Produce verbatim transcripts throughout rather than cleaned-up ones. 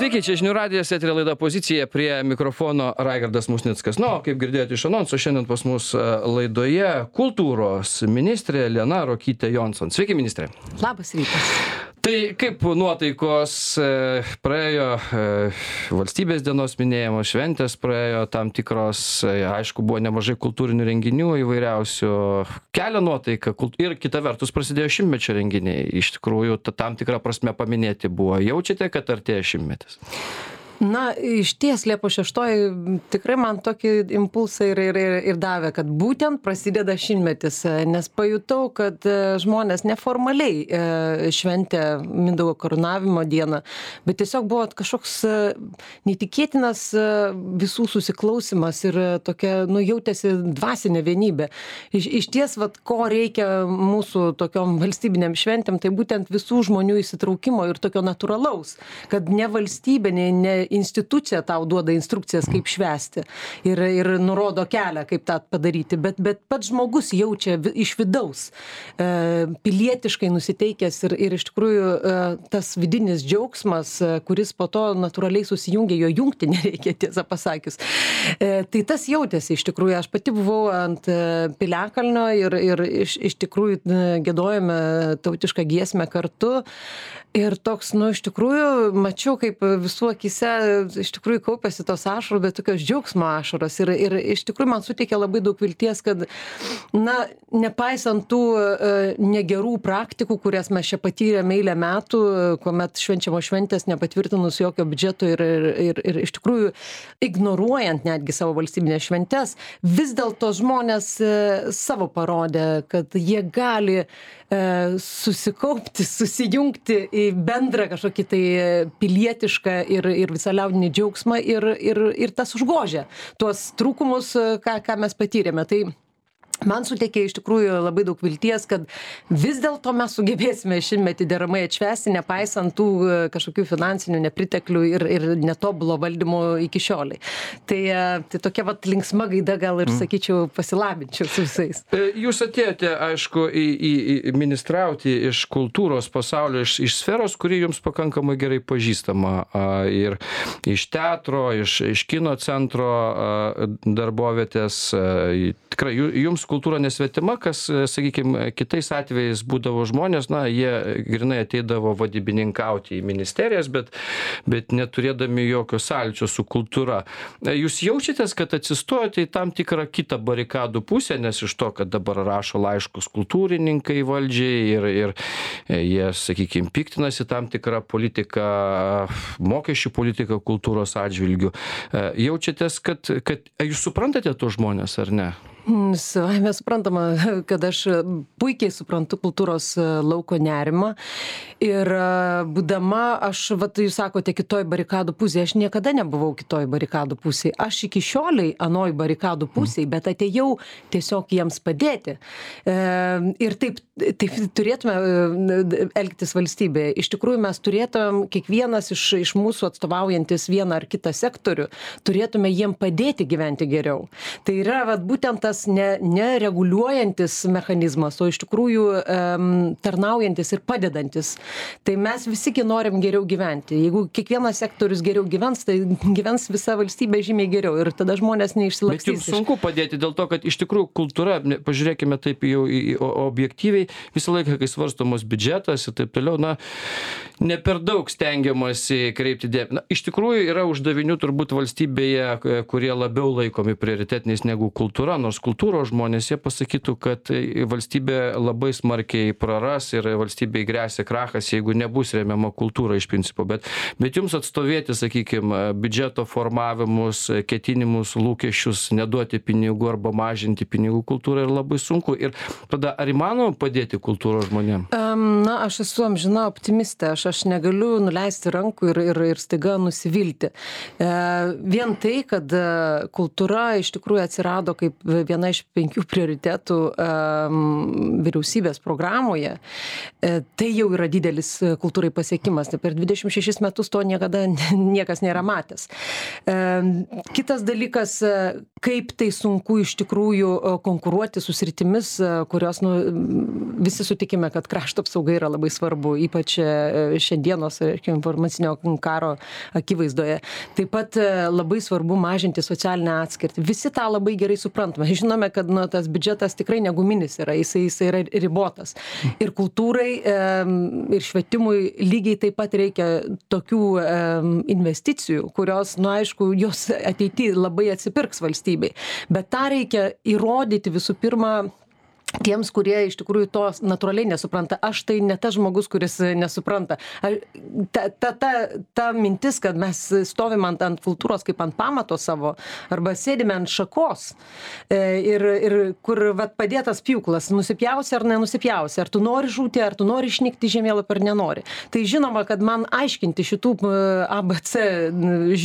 Sveiki, čia žinių radijas, eterio laida Pozicija, prie mikrofono Raigardas Musnickas. Nu, kaip girdėjote iš anonso, šiandien pas mus laidoje kultūros ministrė Lina Ruokytė Jonson. Sveiki, ministrė. Labas rytas. Tai kaip nuotaikos praėjo valstybės dienos minėjimo, šventės praėjo tam tikros, aišku, buvo nemažai kultūrinių renginių įvairiausių, kelia nuotaiką ir kita vertus prasidėjo šimtmečio renginiai. Iš tikrųjų, tam tikrą prasme paminėti buvo. Jaučiate, kad artėja šimtmetis? Na, iš ties Liepos šeštoji tikrai man tokį impulsą ir, ir, ir, ir davė, kad būtent prasideda šimtmetis, nes pajutau, kad žmonės neformaliai šventė Mindaugo karūnavimo dieną, bet tiesiog buvo kažkoks neįtikėtinas visų susiklausimas ir tokia, nu, jautėsi dvasinė vienybė. Iš, iš ties, vat, ko reikia mūsų tokiom valstybinėm šventėm, tai būtent visų žmonių įsitraukimo ir tokio natūralaus, kad ne valstybė, ne, ne institucija tau duoda instrukcijas, kaip švęsti ir, ir nurodo kelią, kaip tą padaryti, bet, bet pats žmogus jaučia iš vidaus, e, pilietiškai nusiteikęs ir, ir iš tikrųjų e, tas vidinis džiaugsmas, e, kuris po to natūraliai susijungia, jo jungti nereikia, tiesą pasakius. E, tai tas jautėsi iš tikrųjų, aš pati buvau ant e, Piliakalnio ir, ir iš, iš tikrųjų e, giedojome tautišką giesmę kartu. Ir toks, nu, iš tikrųjų, mačiau, kaip visų akise, iš tikrųjų, kaupėsi tos ašaros, bet tokios džiaugsmo ašaros. Ir, ir iš tikrųjų, man suteikė labai daug vilties, kad, na, nepaisant tų e, negerų praktikų, kurias mes čia patyrėme eilę metų, kuomet švenčiamos šventės nepatvirtinus jokio biudžeto ir, ir, ir, ir iš tikrųjų, ignoruojant netgi savo valstybinės šventes, vis dėlto žmonės e, savo parodė, kad jie gali e, susikaupti, susijungti į bendrą kažkokį tai pilietišką ir, ir visą liaudinį džiaugsmą ir, ir, ir tas užgožia tuos trūkumus, ką, ką mes patyrėme. Tai man suteikė iš tikrųjų labai daug vilties, kad vis dėlto mes sugebėsime šimtmetį deramai atšvęsti, nepaisant tų kažkokių finansinių nepriteklių ir, ir netobulo valdymo iki šioliai. Tai, tai tokia vat linksma gaida gal ir, sakyčiau, pasilabinčiau su visais. Jūs atėjote, aišku, į, į, į ministrauti iš kultūros pasaulio, iš, iš sferos, kuri jums pakankamai gerai pažįstama. Ir iš teatro, iš, iš kino centro darbovietės. Tikrai, jums kultūra nesvetima, kas, sakykime, kitais atvejais būdavo žmonės, na, jie grinai ateidavo vadybininkauti į ministerijas, bet, bet neturėdami jokio sąlyčio su kultūra. Jūs jaučiatės, kad atsistojate į tam tikrą kitą barikadų pusę, nes iš to, kad dabar rašo laiškus kultūrininkai valdžiai ir, ir jie, sakykime, piktinasi tam tikrą politiką, mokesčių politiką kultūros atžvilgių. Jaučiatės, kad, kad jūs suprantate tos žmonės, ar ne? Savame suprantama, kad aš puikiai suprantu kultūros lauko nerimą ir būdama, aš, vat, jūs sakote, kitoj barikadų pusėje, aš niekada nebuvau kitoj barikadų pusėje. Aš iki šioliai anoj barikadų pusėje, bet atėjau tiesiog jiems padėti. Ir taip, taip turėtume elgtis valstybėje. Iš tikrųjų, mes turėtum, kiekvienas iš, iš mūsų atstovaujantis vieną ar kitą sektorių, turėtume jiem padėti gyventi geriau. Tai yra, vat, būtent tas ne, nereguliuojantis mechanizmas, o iš tikrųjų um, tarnaujantis ir padedantis. Tai mes visiki norim geriau gyventi. Jeigu kiekvienas sektorius geriau gyvens, tai gyvens visa valstybė žymiai geriau ir tada žmonės neišsilakstys. Bet jums sunku padėti dėl to, kad iš tikrųjų kultūra, pažiūrėkime taip jau objektyviai, visą laiką, kai svarstomos biudžetas ir taip toliau, na, ne per daug stengiamasi kreipti dėmesį. Na, iš tikrųjų yra uždavinių turbūt valstybėje, kurie labiau laikomi prioritetiniais negu kultūra, nors kultūros žmonės, jie pasakytų, kad valstybė labai smarkiai praras ir valstybei gresia krachas, jeigu nebus remiama kultūra iš principo. Bet, bet jums atstovėti, sakykime, biudžeto formavimus, ketinimus, lūkesčius, neduoti pinigų arba mažinti pinigų kultūrai yra labai sunku. Ir tada ar įmanoma padėti kultūros žmonėm? Um, na, aš esu amžina optimistė, aš, aš negaliu nuleisti rankų ir, ir, ir staiga nusivilti. E, vien tai, kad kultūra iš tikrųjų atsirado kaip viena iš penkių prioritetų um, vyriausybės programoje, tai jau yra didelis kultūrai pasiekimas. Tai per dvidešimt šešis metus to niekada niekas nėra matęs. Kitas dalykas, kaip tai sunku iš tikrųjų konkuruoti su sritimis, kurios nu, visi sutikime, kad krašto apsauga yra labai svarbu, ypač šiandienos informacinio karo akivaizdoje. Taip pat labai svarbu mažinti socialinę atskirtį. Visi tą labai gerai suprantame. Žinome, kad nu, tas biudžetas tikrai neguminis yra, jisai, jisai yra ribotas. Ir kultūrai ir švietimui lygiai taip pat reikia tokių investicijų, kurios, nu aišku, jos ateityje labai atsipirks valstybei. Bet tą reikia įrodyti visų pirma tiems, kurie iš tikrųjų to natūraliai nesupranta. Aš tai ne tas žmogus, kuris nesupranta. Ta, ta, ta, ta mintis, kad mes stovim ant, ant kultūros kaip ant pamato savo, arba sėdime ant šakos ir, ir kur vat, padėtas pjūklas, nusipjausi ar nenusipjausi, ar tu nori žūti, ar tu nori išnykti žemėlapį ar nenori. Tai žinoma, kad man aiškinti šitų A B C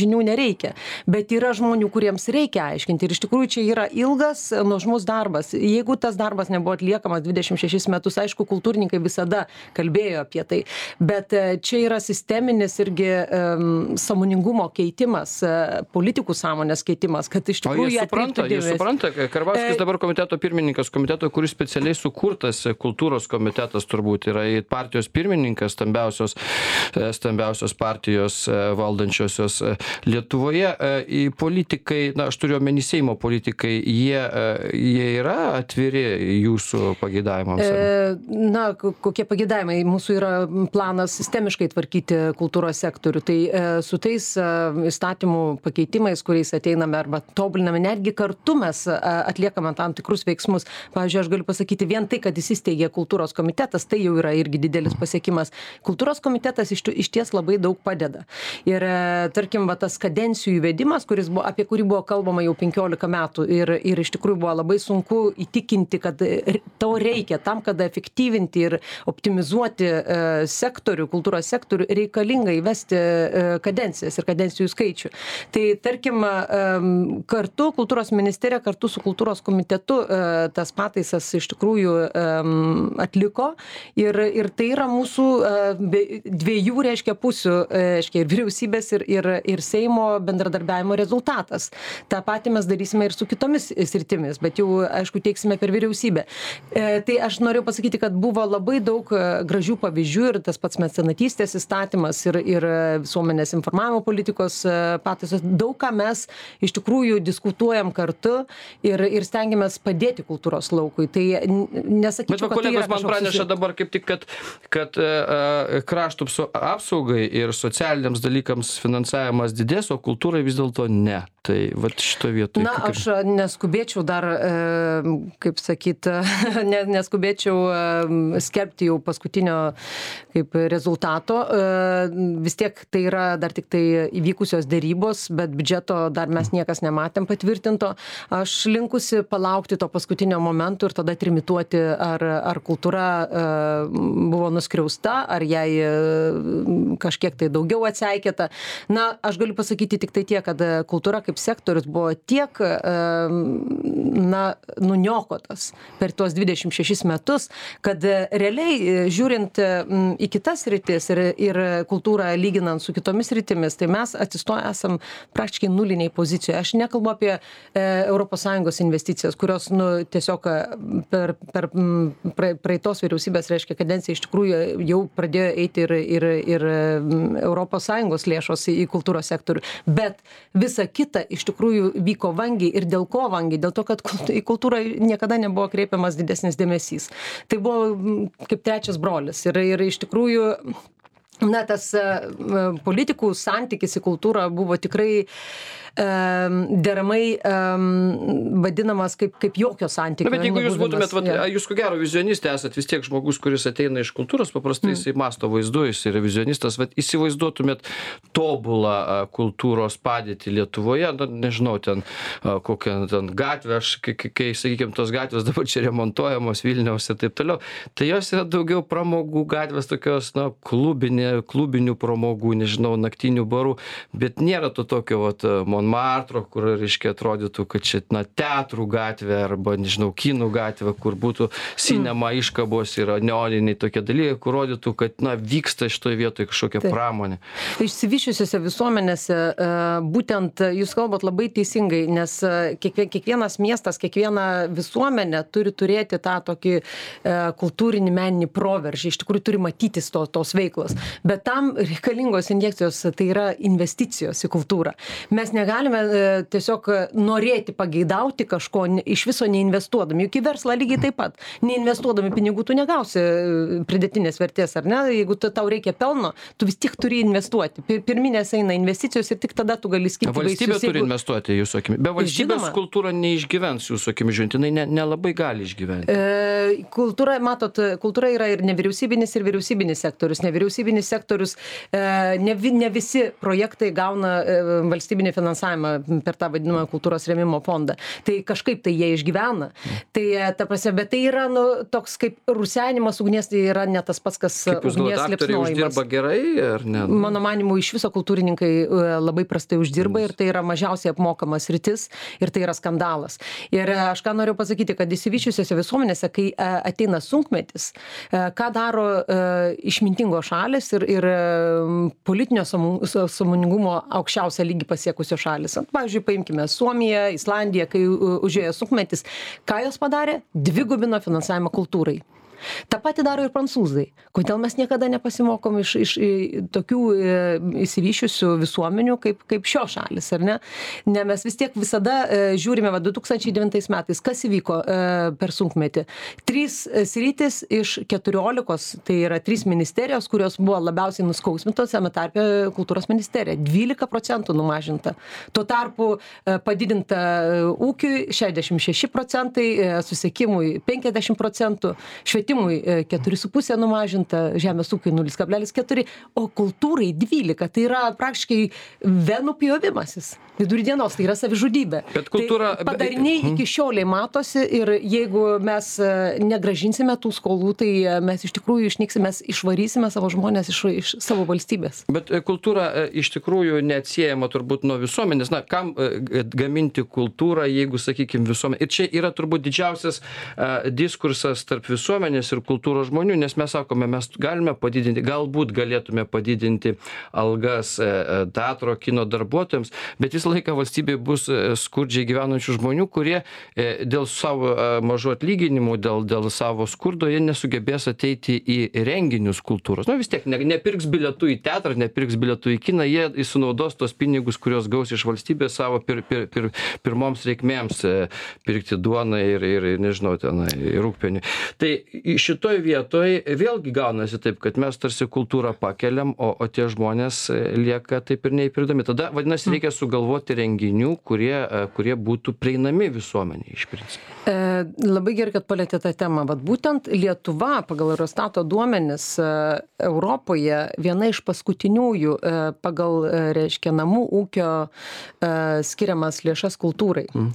žinių nereikia, bet yra žmonių, kuriems reikia aiškinti. Ir iš tikrųjų čia yra ilgas, nuožmus darbas. Jeigu tas darbas nebuvo atliekamas dvidešimt šešis metus, aišku, kultūrininkai visada kalbėjo apie tai, bet čia yra sisteminis irgi um, sąmoningumo keitimas, politikų sąmonės keitimas, kad iš tikrųjų... O jie supranta, jie supranta, Karbauskis e... dabar komiteto pirmininkas, komiteto, kuris specialiai sukurtas, kultūros komitetas turbūt yra partijos pirmininkas, stambiausios, stambiausios partijos valdančiosios Lietuvoje. Į politikai, na, aš turiu omeny Seimo politikai, jie, jie yra atviri jūsų pageidavimams? E, na, kokie pageidavimai? Mūsų yra planas sistemiškai tvarkyti kultūros sektorių. Tai e, su tais e, įstatymų pakeitimais, kuriais ateiname arba tobuliname, netgi kartu mes e, atliekame tam tikrus veiksmus. Pavyzdžiui, aš galiu pasakyti, vien tai, kad įsisteigė kultūros komitetas, tai jau yra irgi didelis pasiekimas. Kultūros komitetas iš, iš ties labai daug padeda. Ir e, tarkim, va, tas kadencijų įvedimas, kuris buvo, apie kurį buvo kalbama jau penkiolika metų ir, ir iš tikrųjų buvo labai sunku įtikinti, kad to reikia tam, kad efektyvinti ir optimizuoti sektorių, kultūros sektorių, reikalinga įvesti kadencijas ir kadencijų skaičių. Tai tarkim, kartu kultūros ministerija, kartu su kultūros komitetu tas pataisas iš tikrųjų atliko ir, ir tai yra mūsų dviejų, reiškia, pusių, reiškia, ir vyriausybės, ir, ir, ir Seimo bendradarbiavimo rezultatas. Ta patį mes darysime ir su kitomis sritimis, bet jau, aišku, teiksime per vyriausybę. E, tai aš noriu pasakyti, kad buvo labai daug gražių pavyzdžių ir tas pats mecenatystės įstatymas ir, ir visuomenės informavimo politikos pataisos. Daug ką mes iš tikrųjų diskutuojam kartu ir, ir stengiamės padėti kultūros laukui. Tai nesakyčiau, bet va, kad tai yra man praneša susi... dabar kaip tik, kad, kad uh, krašto apsaugai ir socialiniams dalykams finansavimas didės, o kultūrai vis dėlto ne. Tai vat šito vietoje. Na, aš neskubėčiau dar, kaip sakyt, neskubėčiau skelbti jau paskutinio kaip rezultato. Vis tiek tai yra dar tik tai įvykusios dėrybos, bet biudžeto dar mes niekas nematėm patvirtinto. Aš linkusi palaukti to paskutinio momento ir tada trimituoti, ar, ar kultūra buvo nuskriausta, ar jai kažkiek tai daugiau atseikėta. Na, aš galiu pasakyti tik tai tiek, kad kultūra kaip sektorius buvo tiek na, nuniokotas per tuos dvidešimt šešis metus, kad realiai žiūrint į kitas sritis ir, ir kultūrą lyginant su kitomis sritimis, tai mes atsistoję esam praktiškai nuliniai pozicijoje. Aš nekalbu apie e, Europos Sąjungos investicijas, kurios nu, tiesiog per, per praeitos vyriausybės, reiškia, kadencija iš tikrųjų jau pradėjo eiti ir, ir, ir Europos Sąjungos lėšos į, į kultūros sektorių. Bet visa kita iš tikrųjų vyko vangiai ir dėl ko vangiai? Dėl to, kad į kultūrą niekada nebuvo kreipiamas didesnis dėmesys. Tai buvo kaip trečias brolis ir, ir iš tikrųjų na, tas politikų santykis į kultūrą buvo tikrai deramai um, vadinamas kaip, kaip jokio santykio. Na, bet jeigu jūs būtumėt, vat, jūs ko gero vizionistė esat vis tiek žmogus, kuris ateina iš kultūros, paprastai jisai mm. masto vaizdu, jis yra vizionistas, vat, įsivaizduotumėt tobulą kultūros padėtį Lietuvoje, na, nežinau, ten kokią ten gatvę, aš, kai, kai sakykime, tos gatvės dabar čia remontuojamos Vilniaus ir taip toliau, tai jos yra daugiau pramogų gatvės, tokios, na, klubinės, klubinių pramogų, nežinau, naktinių barų, bet nėra to tokio vat Monmartro, kur, reiškia, atrodytų, kad čia, na, teatrų gatvė arba, nežinau, kinų gatvė, kur būtų sinema iškabos ir neoniniai tokie dalykai, kur rodytų, kad, na, vyksta šitoje vietoje kažkokia Taip. pramonė. Išsivyščiusiose visuomenėse būtent jūs kalbat labai teisingai, nes kiekvienas miestas, kiekviena visuomenė turi turėti tą tokį kultūrinį meninį proveržį, iš tikrųjų turi matytis to, tos veiklos. Bet tam reikalingos injekcijos, tai yra investicijos į kultūrą. Mes negalime tiesiog norėti pageidauti kažko iš viso neinvestuodami. Juk į verslą lygiai taip pat. Neinvestuodami pinigų tu negausi pridėtinės vertės, ar ne? Jeigu tau reikia pelno, tu vis tiek turi investuoti. Pirminės eina investicijos ir tik tada tu gali skirti vaisius. Valstybė turi investuoti, jūsų akimi. Be valstybės Žinoma. kultūra neišgyvens, jūsų akimi žiūrint, jinai ne, nelabai gali išgyventi. E, kultūra, matot, kultūra yra ir nevyriausybinis, ir vyriausybinis sektorius. Nevyriausybinis sektorius, e, ne, ne visi projektai gauna e, valstybinį finansavimą per tą vadinamą kultūros rėmimo fondą. Tai kažkaip tai jie išgyvena. Tai, ta prasme, bet tai yra nu, toks kaip rusenimas ugnies, tai yra ne tas pats, kas Kaip jūs ugnies galvojat, aktoriai liepsnojimas. uždirba gerai, ar ne? Mano manimu, iš viso kultūrininkai e, labai prastai uždirba ir tai yra mažiausiai apmokamas rytis ir tai yra skandalas. Ir e, aš ką noriu pasakyti, kad išsivyščiusiose visuomenėse, kai e, ateina sunkmetis, e, ką daro e, išmintingos šalis ir, ir e, politinio sąmoningumo aukščiausią lygį pasiekusios šalis. Pavyzdžiui, paimkime Suomiją, Islandiją, kai užėjo sunkmetis, ką jos padarė? Dvigubino finansavimą kultūrai. Ta pati daro ir prancūzai. Kodėl mes niekada nepasimokom iš, iš, iš tokių e, įsivyšiusių visuomenių kaip, kaip šios šalis, ar ne? Ne, mes vis tiek visada e, žiūrime, va, du tūkstančiai devintais metais, kas įvyko e, per sunkmetį. Trys sritis iš keturiolikos, tai yra trys ministerijos, kurios buvo labiausiai nuskausmintos, tame tarpe kultūros ministerija. dvylika procentų numažinta. Tuo tarpu e, padidinta ūkiui šešiasdešimt šeši procentai, e, susiekimui penkiasdešimt procentų, švietimui keturi su puse numažinta, žemės ūkiui nulis kablelis keturi, o kultūrai dvylika. Tai yra praktiškai venų pjovimasis. Vidury dienos, tai yra savižudybė. Bet kultūra... Tai padariniai iki šioliai matosi ir jeigu mes negražinsime tų skolų, tai mes iš tikrųjų išnyksime, mes išvarysime savo žmonės iš, iš savo valstybės. Bet kultūra iš tikrųjų neatsiejama turbūt nuo visuomenės. Na, kam gaminti kultūrą, jeigu, sakykime, visuomenė. Ir čia yra turbūt didžiausias uh, diskursas tarp visuomenės ir kultūros žmonių, nes mes sakome, mes galime padidinti, galbūt galėtume padidinti algas uh, teatro, kino darbuotojams, bet vis laiką valstybėje bus skurdžiai gyvenančių žmonių, kurie dėl savo mažų atlyginimų, dėl, dėl savo skurdo, jie nesugebės ateiti į renginius kultūros. Nu vis tiek, ne, nepirks bilietų į teatrą, nepirks bilietų į kiną, jie sunaudos tos pinigus, kurios gaus iš valstybės savo pir, pir, pir, pirmoms reikmėms pirkti duoną ir, ir, ir nežinau, tenai, rūgpienį. Tai šitoj vietoj vėlgi gaunasi taip, kad mes tarsi kultūrą pakeliam, o, o tie žmonės lieka taip ir neįpirdami. Tada, vadinasi, reikia sugalvoti renginių, kurie, kurie būtų prieinami visuomeniai iš principo. E, labai gerai, kad palėtė tą temą. Vat būtent Lietuva pagal Eurostato duomenis e, Europoje viena iš paskutiniųjų e, pagal, e, reiškia, namų ūkio e, skiriamas lėšas kultūrai. Mm.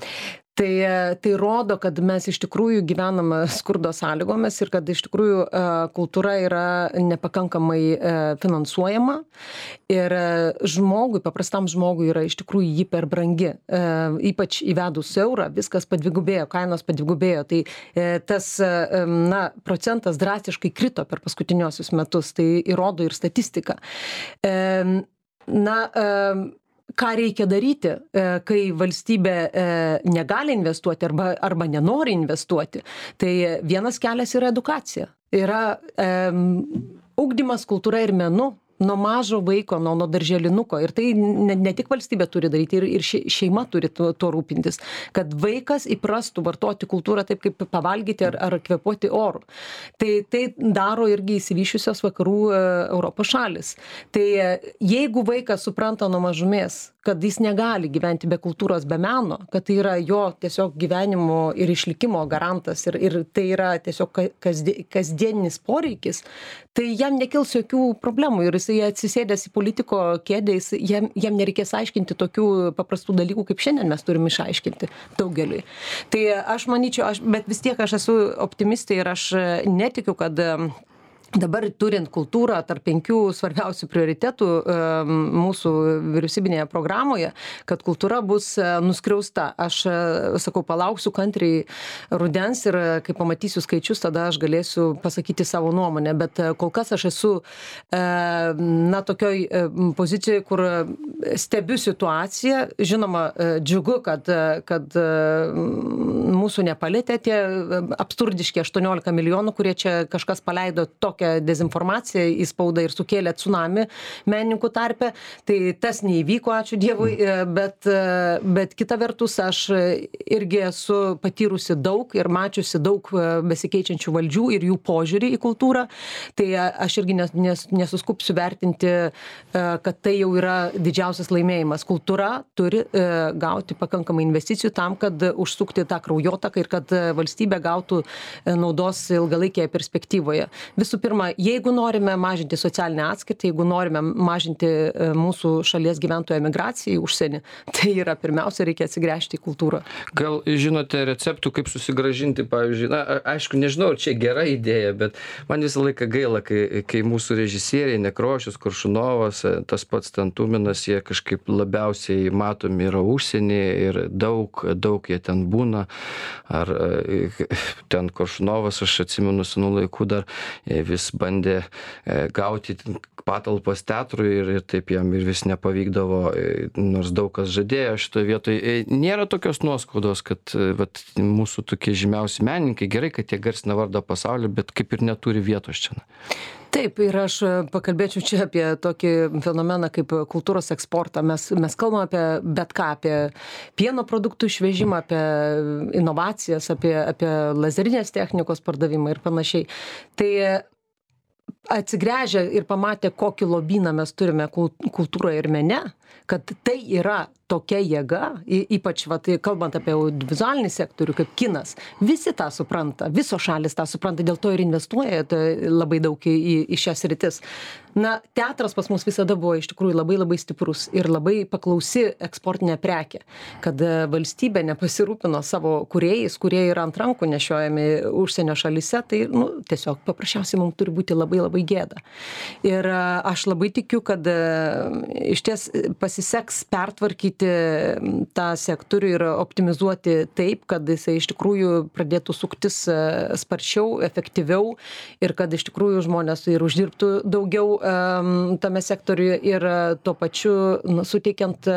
Tai, tai rodo, kad mes iš tikrųjų gyvename skurdo sąlygomis ir kad iš tikrųjų kultūra yra nepakankamai finansuojama ir žmogui, paprastam žmogui yra iš tikrųjų jį per brangi. Ypač įvedus eurą, viskas padvigubėjo, kainos padvigubėjo. Tai tas na, procentas drastiškai krito per paskutiniosius metus, tai įrodo ir statistika. Na, ką reikia daryti, kai valstybė negali investuoti arba, arba nenori investuoti. Tai vienas kelias yra edukacija. Yra um, ugdymas kultūra ir menu. Nuo mažo vaiko, nuo, nuo darželinuko. Ir tai ne, ne tik valstybė turi daryti, ir, ir šeima turi tuo, tuo rūpintis. Kad vaikas įprastų vartoti kultūrą taip, kaip pavalgyti ar, ar kvėpuoti oru. Tai, tai daro irgi įsivyšiusios vakarų e, Europos šalis. Tai e, jeigu vaikas supranta nuo mažumės, kad jis negali gyventi be kultūros, be meno, kad tai yra jo tiesiog gyvenimo ir išlikimo garantas ir, ir tai yra tiesiog kasdien, kasdieninis poreikis, tai jam nekils jokių problemų ir jisai atsisėdęs į politiko kėdę, jis, jam, jam nereikės aiškinti tokių paprastų dalykų, kaip šiandien mes turim išaiškinti daugeliui. Tai aš manyčiau, aš, bet vis tiek aš esu optimistė ir aš netikiu, kad dabar turint kultūrą tarp penkių svarbiausių prioritetų mūsų vyriausybinėje programoje, kad kultūra bus nuskriausta. Aš sakau, palauksiu kantriai rudens ir kai pamatysiu skaičius, tada aš galėsiu pasakyti savo nuomonę. Bet kol kas aš esu na, tokioj pozicijoje, kur stebiu situaciją. Žinoma, džiugu, kad, kad mūsų nepalėtė tie absurdiški aštuoniolika milijonų, kurie čia kažkas paleido tokią dezinformaciją į spaudą ir sukėlė tsunami menininkų tarpe. Tai tas neįvyko, ačiū Dievui, bet, bet kita vertus aš irgi esu patyrusi daug ir mačiusi daug besikeičiančių valdžių ir jų požiūrį į kultūrą. Tai aš irgi nes, nes, nesuskupsiu vertinti, kad tai jau yra didžiausias laimėjimas. Kultūra turi gauti pakankamai investicijų tam, kad užsukti tą kraujotaką ir kad valstybė gautų naudos ilgalaikėje perspektyvoje. Visų pirma, jeigu norime mažinti socialinę atskirtį, jeigu norime mažinti mūsų šalies gyventojų emigraciją į užsienį, tai yra pirmiausia, reikia atsigręžti į kultūrą. Gal žinote receptų, kaip susigrąžinti, pavyzdžiui, na, aišku, nežinau, ar čia gera idėja, bet man visą laiką gaila, kai, kai mūsų režisieriai, Nekrošius, Koršunovas, tas pats ten Tuminas, jie kažkaip labiausiai matomi yra užsienį ir daug, daug jie ten būna. Ar ten Koršunovas, aš atsimenu senų laikų dar vis bandė gauti patalpas teatrui ir, ir taip jam ir vis nepavykdavo, nors daug kas žadėjo šitoje vietoje. Nėra tokios nuoskaudos, kad vat, mūsų tokie žymiausi menininkai, gerai, kad jie garsina vardą pasaulį, bet kaip ir neturi vietos čia. Taip, ir aš pakalbėčiau čia apie tokį fenomeną kaip kultūros eksportą. Mes, mes kalbame apie bet ką, apie pieno produktų išvežimą, apie inovacijas, apie, apie lazerinės technikos pardavimą ir panašiai. Tai atsigręžę ir pamatę, kokį lobyną mes turime kultūroje ir mene, kad tai yra tokia jėga, ypač vat, kalbant apie audiovizualinį sektorių, kaip kinas, visi tą supranta, visos šalis tą supranta, dėl to ir investuoja labai daug į, į šias rytis. Na, teatras pas mus visada buvo iš tikrųjų labai labai stiprus ir labai paklausi eksportinė prekė, kad valstybė nepasirūpino savo kūrėjais, kurie yra ant rankų nešiojami užsienio šalyse, tai nu, tiesiog paprasčiausiai mums turi būti labai labai gėda. Ir aš labai tikiu, kad iš ties pasiseks pertvarkyti tą sektorių ir optimizuoti taip, kad jisai iš tikrųjų pradėtų suktis sparčiau, efektyviau ir kad iš tikrųjų žmonės ir uždirbtų daugiau um, tame sektoriuje ir tuo pačiu nu, suteikiant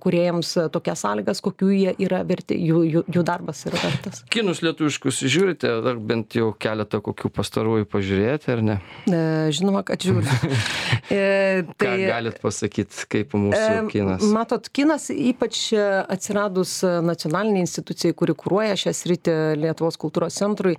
kūrėjams tokias sąlygas, kokių jie yra verti, jų, jų, jų darbas yra vertas. Kinus lietuviškus žiūrite, ar bent jau keletą kokių pastarųjų pažiūrėti, ar ne? E, žinoma, kad žiūriu. e, tai, Ką galit pasakyti, kaip mūsų kinas? E, matot, kinas ypač atsiradus nacionaliniai institucijai, kuri kuruoja šią sritį Lietuvos kultūros centrui,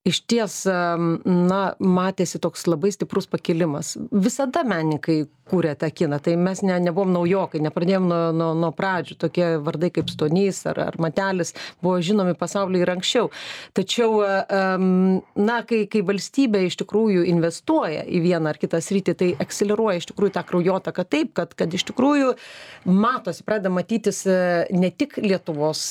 iš ties, na, matėsi toks labai stiprus pakilimas. Visada menininkai kūrė tą kiną, tai mes ne, nebuvom naujokai, nepradėjom nuo, nuo, nuo pradžių, tokie vardai kaip Stonys ar, ar Matelis buvo žinomi pasaulyje ir anksčiau. Tačiau, na, kai, kai valstybė iš tikrųjų investuoja į vieną ar kitą sritį, tai akseleruoja iš tikrųjų tą kraujotaką taip, kad, kad iš tikrųjų matosi, pradeda matytis ne tik Lietuvos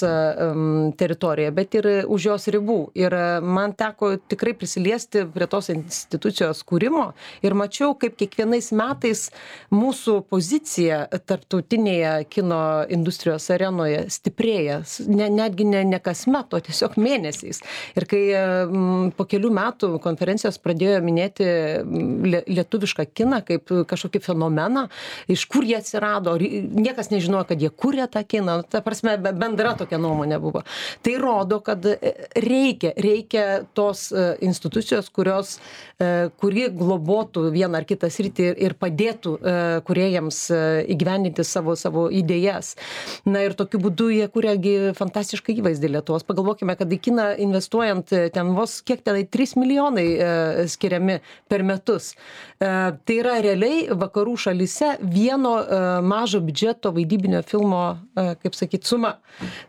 teritorijoje, bet ir už jos ribų. Ir man teko tikrai prisiliesti prie tos institucijos kūrimo ir mačiau, kaip kiekvienais metais mūsų pozicija tarptautinėje kino industrijos arenoje stiprėja, ne, netgi ne, ne kasmet, o tiesiog mėnesiais. Ir kai m, po kelių metų konferencijos pradėjo minėti lietuvišką kiną kaip kažkokį fenomeną, iš kur jie atsirado, niekas nežinojo, kad jie kūrė tą kiną, ta prasme, bendra tokia nuomonė buvo. Tai rodo, kad reikia, reikia tos institucijos, kurios, kuri globotų vieną ar kitą sritį ir padėtų kūrėjams įgyvendinti savo, savo idėjas. Na ir tokiu būdu jie kūrėgi fantastišką įvaizdį Lietuvos. Pagalvokime, kad į kiną investuojant ten vos kiek tenai trys milijonai skiriami per metus. Tai yra realiai vakarų šalyse vieno mažo biudžeto vaidybinio filmo, kaip sakyt, suma.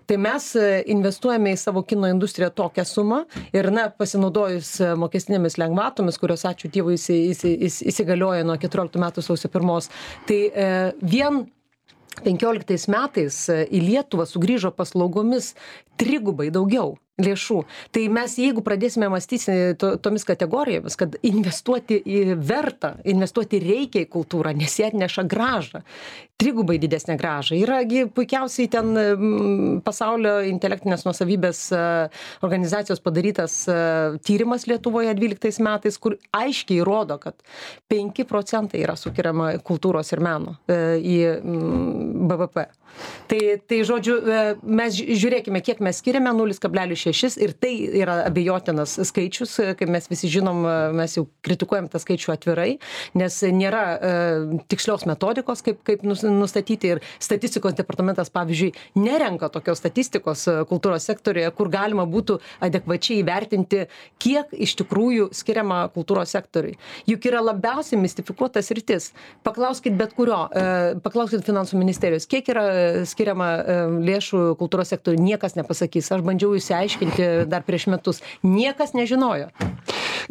Tai mes investuojame į savo kino industriją tokią sumą ir, na, pasinaudojus mokestinėmis lengvatomis, kurios, ačiū Dievui, įsigalioja nuo keturioliktų metų sausio pirmos, tai vien penkioliktais metais į Lietuvą sugrįžo paslaugomis trigubai daugiau. lėšų. Tai mes, jeigu pradėsime mąstyti to, tomis kategorijomis, kad investuoti į vertą, investuoti reikia į kultūrą, nes jie atneša gražą, trigubai didesnę gražą. Yragi puikiausiai ten m, pasaulio intelektinės nuosavybės e, organizacijos padarytas e, tyrimas Lietuvoje dvyliktais metais, kur aiškiai rodo, kad penki procentai yra sukiriama kultūros ir meno e, į m, B V P. Tai, tai žodžiu, e, mes žiūrėkime, kiek mes skiriame, nulis kablelis šeši, ir tai yra abejotinas skaičius, kaip mes visi žinom, mes jau kritikuojam tą skaičių atvirai, nes nėra e, tikslios metodikos, kaip, kaip nustatyti, ir statistikos departamentas, pavyzdžiui, nerenka tokios statistikos kultūros sektorijoje, kur galima būtų adekvačiai įvertinti, kiek iš tikrųjų skiriama kultūros sektoriui. Juk yra labiausiai mistifikuotas rytis. Paklauskit bet kurio, e, paklauskit finansų ministerijos, kiek yra skiriama lėšų kultūros sektoriui, niekas nepasakys. Aš bandžiau išsiaiškinti dar prieš metus. Niekas nežinojo.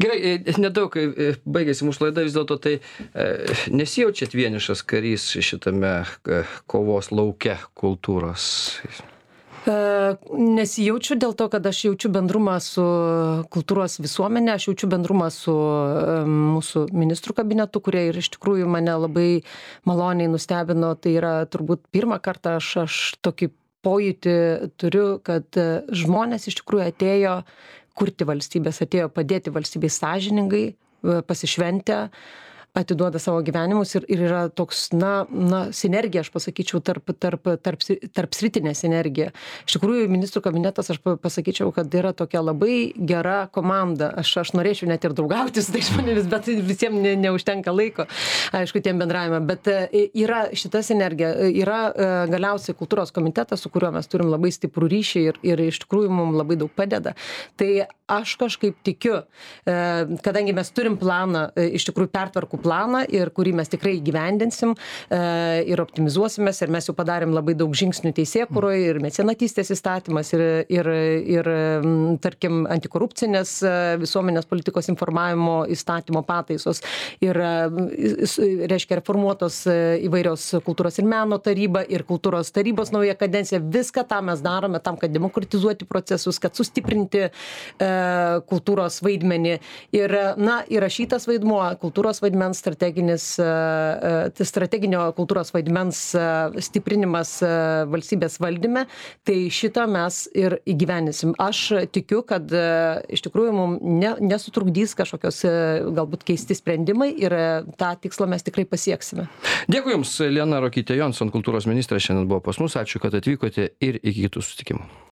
Gerai, nedaug baigėsi mūsų laida, vis dėlto tai nesijaučiat vienišas karys šitame kovos lauke kultūros? Nesijaučiu dėl to, kad aš jaučiu bendrumą su kultūros visuomenė, aš jaučiu bendrumą su mūsų ministrų kabinetu, kurie ir iš tikrųjų mane labai maloniai nustebino. Tai yra turbūt pirmą kartą aš, aš tokį pojūtį turiu, kad žmonės iš tikrųjų atėjo kurti valstybės, atėjo padėti valstybei sąžiningai, pasišventę, atiduoda savo gyvenimus, ir, ir yra toks, na, na, sinergija, aš pasakyčiau, tarp, tarp, tarp, tarp sritinė sinergija. Iš tikrųjų, ministrų kabinetas, aš pasakyčiau, kad yra tokia labai gera komanda. Aš, aš norėčiau net ir draugauti su tais žmonėmis, bet visiems ne, neužtenka laiko, aišku, tiem bendravimą. Bet yra šita sinergija, yra galiausiai kultūros komitetas, su kuriuo mes turim labai stiprų ryšį, ir, ir iš tikrųjų mums labai daug padeda. Tai aš kažkaip tikiu, kadangi mes turim planą, iš tikrųjų pertvarkų planą, ir kurį mes tikrai įgyvendinsim ir optimizuosimės, ir mes jau padarėm labai daug žingsnių teisėkūroje, ir mecenatystės įstatymas, ir, ir, ir tarkim, antikorupcinės visuomenės politikos informavimo įstatymo pataisos, ir, reiškia, reformuotos įvairios kultūros ir meno taryba, ir kultūros tarybos nauja kadencija. Viską tą mes darome tam, kad demokratizuoti procesus, kad sustiprinti kultūros vaidmenį. Ir, na, įrašytas vaidmuo, kultūros vaidmens strateginis, strateginio kultūros vaidmens stiprinimas valstybės valdyme, tai šitą mes ir įgyvenisim. Aš tikiu, kad iš tikrųjų mums ne, nesutrukdys kažkokios galbūt keisti sprendimai, ir tą tikslą mes tikrai pasieksime. Dėkui Jums, Liana Ruokytė Jonson, kultūros ministrė, šiandien buvo pas mus. Ačiū, kad atvykote, ir iki kitų susitikimų.